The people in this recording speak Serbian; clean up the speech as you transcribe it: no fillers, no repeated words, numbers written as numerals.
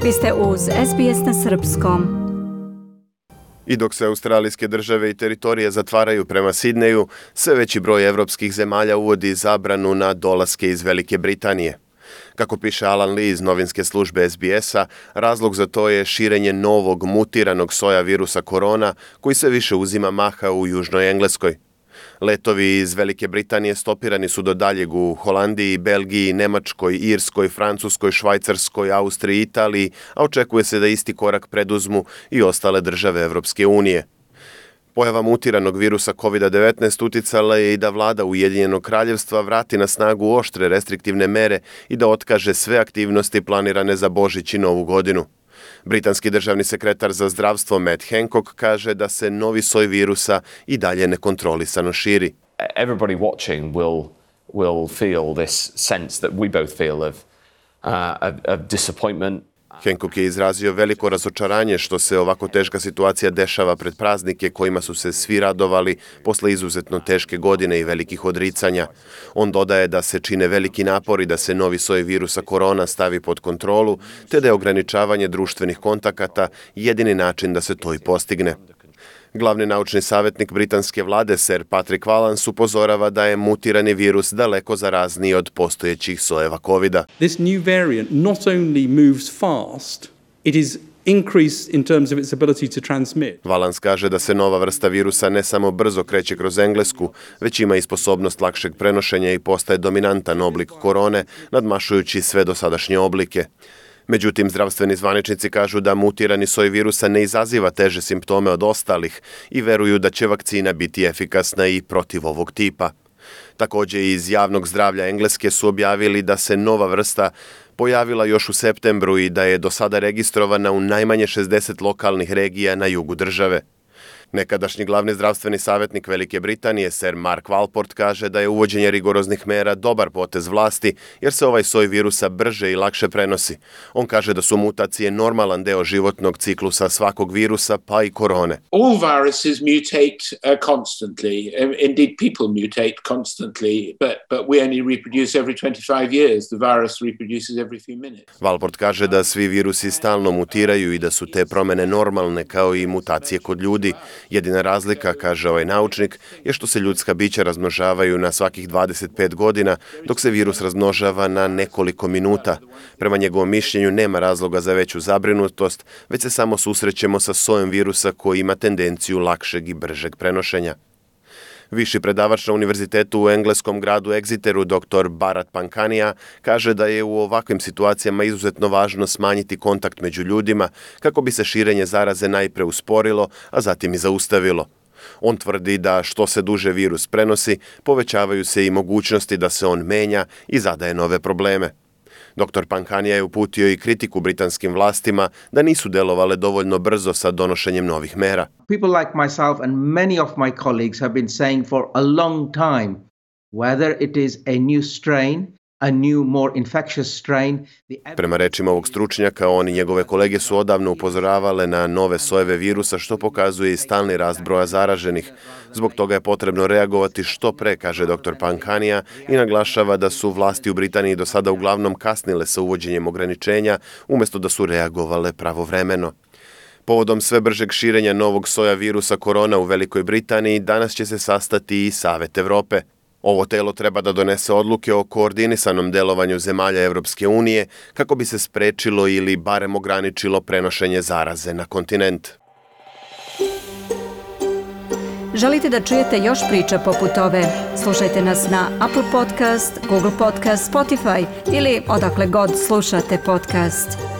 Vi ste uz SBS na srpskom. I dok se australijske države i teritorije zatvaraju prema Sidneju, sve veći broj evropskih zemalja uvodi zabranu na dolaske iz Velike Britanije. Kako piše Alan Lee iz novinske službe SBS-a, razlog za to je širenje novog mutiranog soja virusa korona koji sve više uzima maha u Južnoj Engleskoj. Letovi iz Velike Britanije stopirani su do daljeg u Holandiji, Belgiji, Nemačkoj, Irskoj, Francuskoj, Švajcarskoj, Austriji i Italiji, a očekuje se da isti korak preduzmu i ostale države Evropske unije. Pojava mutiranog virusa COVID-19 uticala je i da vlada Ujedinjenog kraljevstva vrati na snagu oštre restriktivne mere i da otkaže sve aktivnosti planirane za Božić i Novu godinu. Britanski državni sekretar za zdravstvo Matt Hancock kaže da se novi soj virusa i dalje nekontrolisano širi. Everybody watching will feel this sense that we both feel of disappointment. Hancock je izrazio veliko razočaranje što se ovako teška situacija dešava pred praznike kojima su se svi radovali posle izuzetno teške godine i velikih odricanja. On dodaje da se čine veliki napori da se novi soj virusa korona stavi pod kontrolu, te da je ograničavanje društvenih kontakata jedini način da se to i postigne. Glavni naučni savjetnik britanske vlade, Sir Patrick Vallance, upozorava da je mutirani virus daleko zarazniji od postojećih sojeva COVID-a. This new variant not only moves fast, it is increased in terms of its ability to transmit. Vallance kaže da se nova vrsta virusa ne samo brzo kreće kroz Englesku, već ima i sposobnost lakšeg prenošenja i postaje dominantan oblik korone, nadmašujući sve dosadašnje oblike. Međutim, zdravstveni zvaničnici kažu da mutirani soj virusa ne izaziva teže simptome od ostalih i veruju da će vakcina biti efikasna i protiv ovog tipa. Također iz javnog zdravlja Engleske su objavili da se nova vrsta pojavila još u septembru i da je do sada registrovana u najmanje 60 lokalnih regija na jugu države. Nekadašnji glavni zdravstveni savjetnik Velike Britanije, Sir Mark Walport, kaže da je uvođenje rigoroznih mera dobar potez vlasti jer se ovaj soj virusa brže i lakše prenosi. On kaže da su mutacije normalan deo životnog ciklusa svakog virusa, pa i korone. All viruses mutate constantly. Indeed, people mutate constantly, but we only reproduce every 25 years. The virus reproduces every few minutes. Walport kaže da svi virusi stalno mutiraju i da su te promene normalne kao i mutacije kod ljudi. Jedina razlika, kaže ovaj naučnik, je što se ljudska bića razmnožavaju na svakih 25 godina, dok se virus razmnožava na nekoliko minuta. Prema njegovom mišljenju nema razloga za veću zabrinutost, već se samo susrećemo sa sojem virusa koji ima tendenciju lakšeg i bržeg prenošenja. Viši predavač na univerzitetu u engleskom gradu Exeteru, dr. Bharat Pankhania, kaže da je u ovakvim situacijama izuzetno važno smanjiti kontakt među ljudima kako bi se širenje zaraze najpre usporilo, a zatim i zaustavilo. On tvrdi da što se duže virus prenosi, povećavaju se i mogućnosti da se on menja i zadaje nove probleme. Dr. Pankhania je uputio i kritiku britanskim vlastima da nisu delovale dovoljno brzo sa donošenjem novih mera. People like myself and many of my colleagues have been saying for a long time, whether it is a new strain, a new, more infectious strain. Prema rečima ovog stručnjaka, on i njegove kolege su odavno upozoravale na nove sojeve virusa, što pokazuje i stalni rast broja zaraženih. Zbog toga je potrebno reagovati što pre, kaže dr. Pankhania, i naglašava da su vlasti u Britaniji do sada uglavnom kasnile sa uvođenjem ograničenja, umjesto da su reagovale pravovremeno. Povodom sve bržeg širenja novog soja virusa korona u Velikoj Britaniji, danas će se sastati i Savet Evrope. Ovo telo treba da donese odluke o koordinisanom delovanju zemalja Evropske unije kako bi se sprečilo ili barem ograničilo prenošenje zaraze na kontinent. Želite da čujete još priča poput ove? Slušajte nas na Apple Podcast, Google Podcast, Spotify ili odakle god slušate podcast.